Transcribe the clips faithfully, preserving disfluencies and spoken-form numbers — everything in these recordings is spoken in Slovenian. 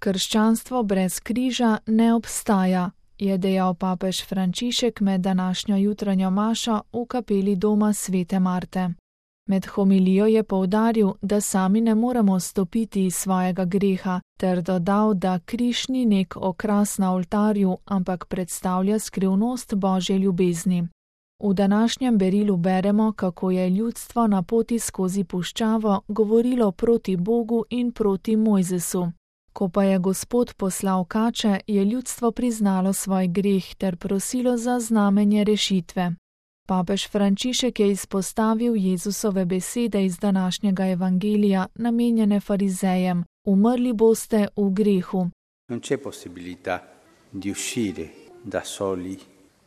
Krščanstvo brez križa ne obstaja, je dejal papež Frančišek med današnjo jutranjo mašo v kapeli doma svete Marte. Med homilijo je poudaril, da sami ne moremo stopiti iz svojega greha, ter dodal, da križ ni nek okras na oltarju, ampak predstavlja skrivnost Božje ljubezni. V današnjem berilu beremo, kako je ljudstvo na poti skozi puščavo govorilo proti Bogu in proti Mojzesu. Ko pa je Gospod poslal kače, je ljudstvo priznalo svoj greh ter prosilo za znamenje rešitve. Papež Frančišek je izpostavil Jezusove besede iz današnjega evangelija, namenjene farizejem: umrli boste v grehu. Non c'è possibilità di uscire da soli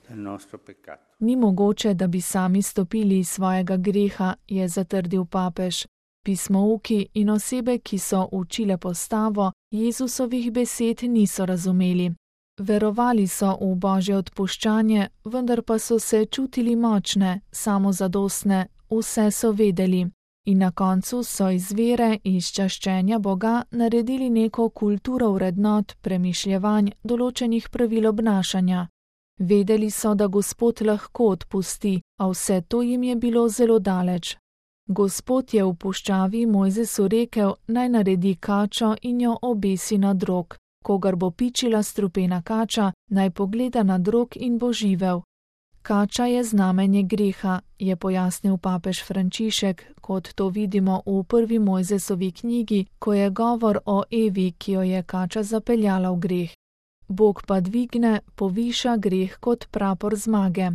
dal nostro peccato. Ni mogoče, da bi sami stopili iz svojega greha, je zatrdil papež. Pismouki in osebe, ki so učile postavo, Jezusovih besed niso razumeli. Verovali so v Božje odpuščanje, vendar pa so se čutili močne, samozadostne, vse so vedeli. In na koncu so iz vere, iz čaščenja Boga naredili neko kulturo vrednot, premišljevanj, določenih pravil obnašanja. Vedeli so, da Gospod lahko odpusti, a vse to jim je bilo zelo daleč. Gospod je v puščavi Mojzesu rekel, naj naredi kačo in jo obesi na drog. Kogar bo pičila strupena kača, naj pogleda na drog in bo živel. Kača je znamenje greha, je pojasnil papež Frančišek, kot to vidimo v prvi Mojzesovi knjigi, ko je govor o Evi, ki jo je kača zapeljala v greh. Bog pa dvigne, poviša greh kot prapor zmage.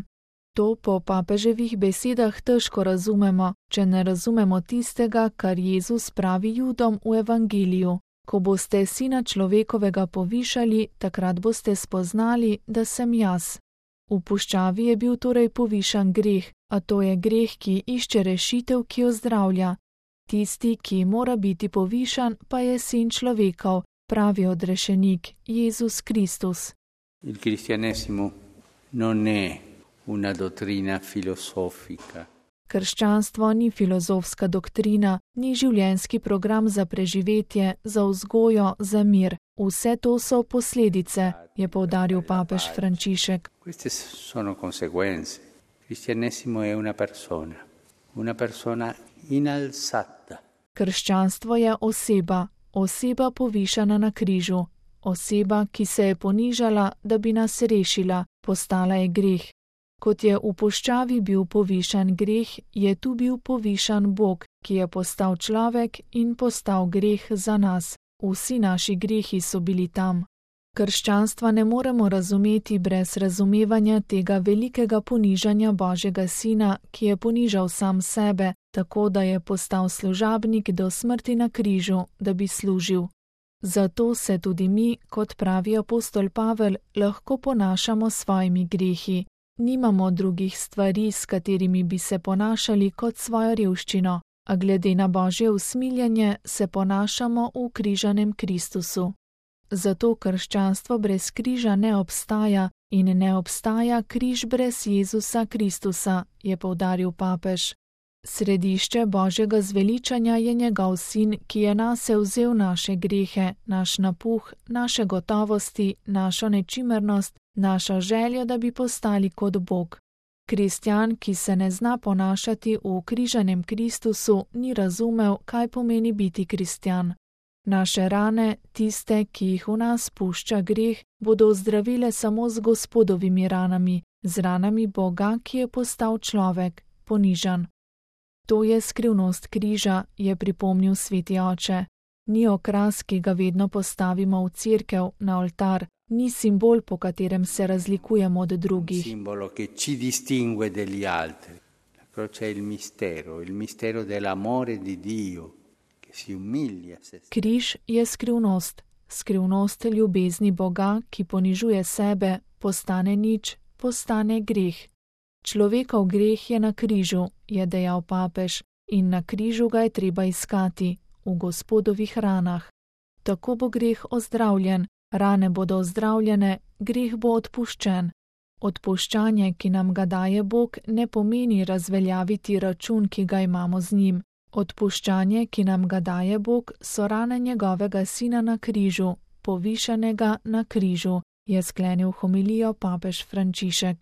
To po papeževih besedah težko razumemo, če ne razumemo tistega, kar Jezus pravi Judom v evangeliju. Ko boste sina človekovega povišali, takrat boste spoznali, da sem jaz. V puščavi je bil torej povišan greh, a to je greh, ki išče rešitev, ki jo zdravlja. Tisti, ki mora biti povišan, pa je sin človekov, pravi odrešenik, Jezus Kristus. Il cristianesimo non è una dottrina filosofica. Krščanstvo ni filozofska doktrina, ni življenjski program za preživetje, za vzgojo, za mir. Vse to so posledice, je poudaril papež Frančišek. Queste sono conseguenze. Cristianesimo è una persona, una persona inalzata. Krščanstvo je oseba, oseba povišana na križu, oseba, ki se je ponižala, da bi nas rešila, postala je greh. Kot je v puščavi bil povišan greh, je tu bil povišan Bog, ki je postal človek in postal greh za nas. Vsi naši grehi so bili tam. Krščanstva ne moremo razumeti brez razumevanja tega velikega ponižanja Božjega Sina, ki je ponižal sam sebe, tako da je postal služabnik do smrti na križu, da bi služil. Zato se tudi mi, kot pravi apostol Pavel, lahko ponašamo s svojimi grehi. Nimamo drugih stvari, s katerimi bi se ponašali kot svojo revščino, a glede na Božje usmiljenje se ponašamo v križanem Kristusu. Zato krščanstvo brez križa ne obstaja in ne obstaja križ brez Jezusa Kristusa, je poudaril papež. Središče Božjega zveličanja je njegov sin, ki je nase vzel naše grehe, naš napuh, naše gotovosti, našo nečimernost, našo željo, da bi postali kot Bog. Kristjan, ki se ne zna ponašati v križanem Kristusu, ni razumel, kaj pomeni biti kristjan. Naše rane, tiste, ki jih v nas pušča greh, bodo ozdravile samo z Gospodovimi ranami, z ranami Boga, ki je postal človek, ponižan. To je skrivnost križa, je pripomnil sveti oče. Ni okras, ki ga vedno postavimo v cerkev, na oltar, ni simbol, po katerem se razlikujemo od drugih. Simbolo, ki ci distingue degli altri. La croce è il mistero, il mistero dell'amore di Dio, che si umilia se stesso. Križ je skrivnost, skrivnost ljubezni Boga, ki ponižuje sebe, postane nič, postane greh. Človekov greh je na križu, je dejal papež, in na križu ga je treba iskati, v Gospodovih ranah. Tako bo greh ozdravljen, rane bodo ozdravljene, greh bo odpuščen. Odpuščanje, ki nam ga daje Bog, ne pomeni razveljaviti račun, ki ga imamo z njim. Odpuščanje, ki nam ga daje Bog, so rane njegovega sina na križu, povišanega na križu, je sklenil homilijo papež Frančišek.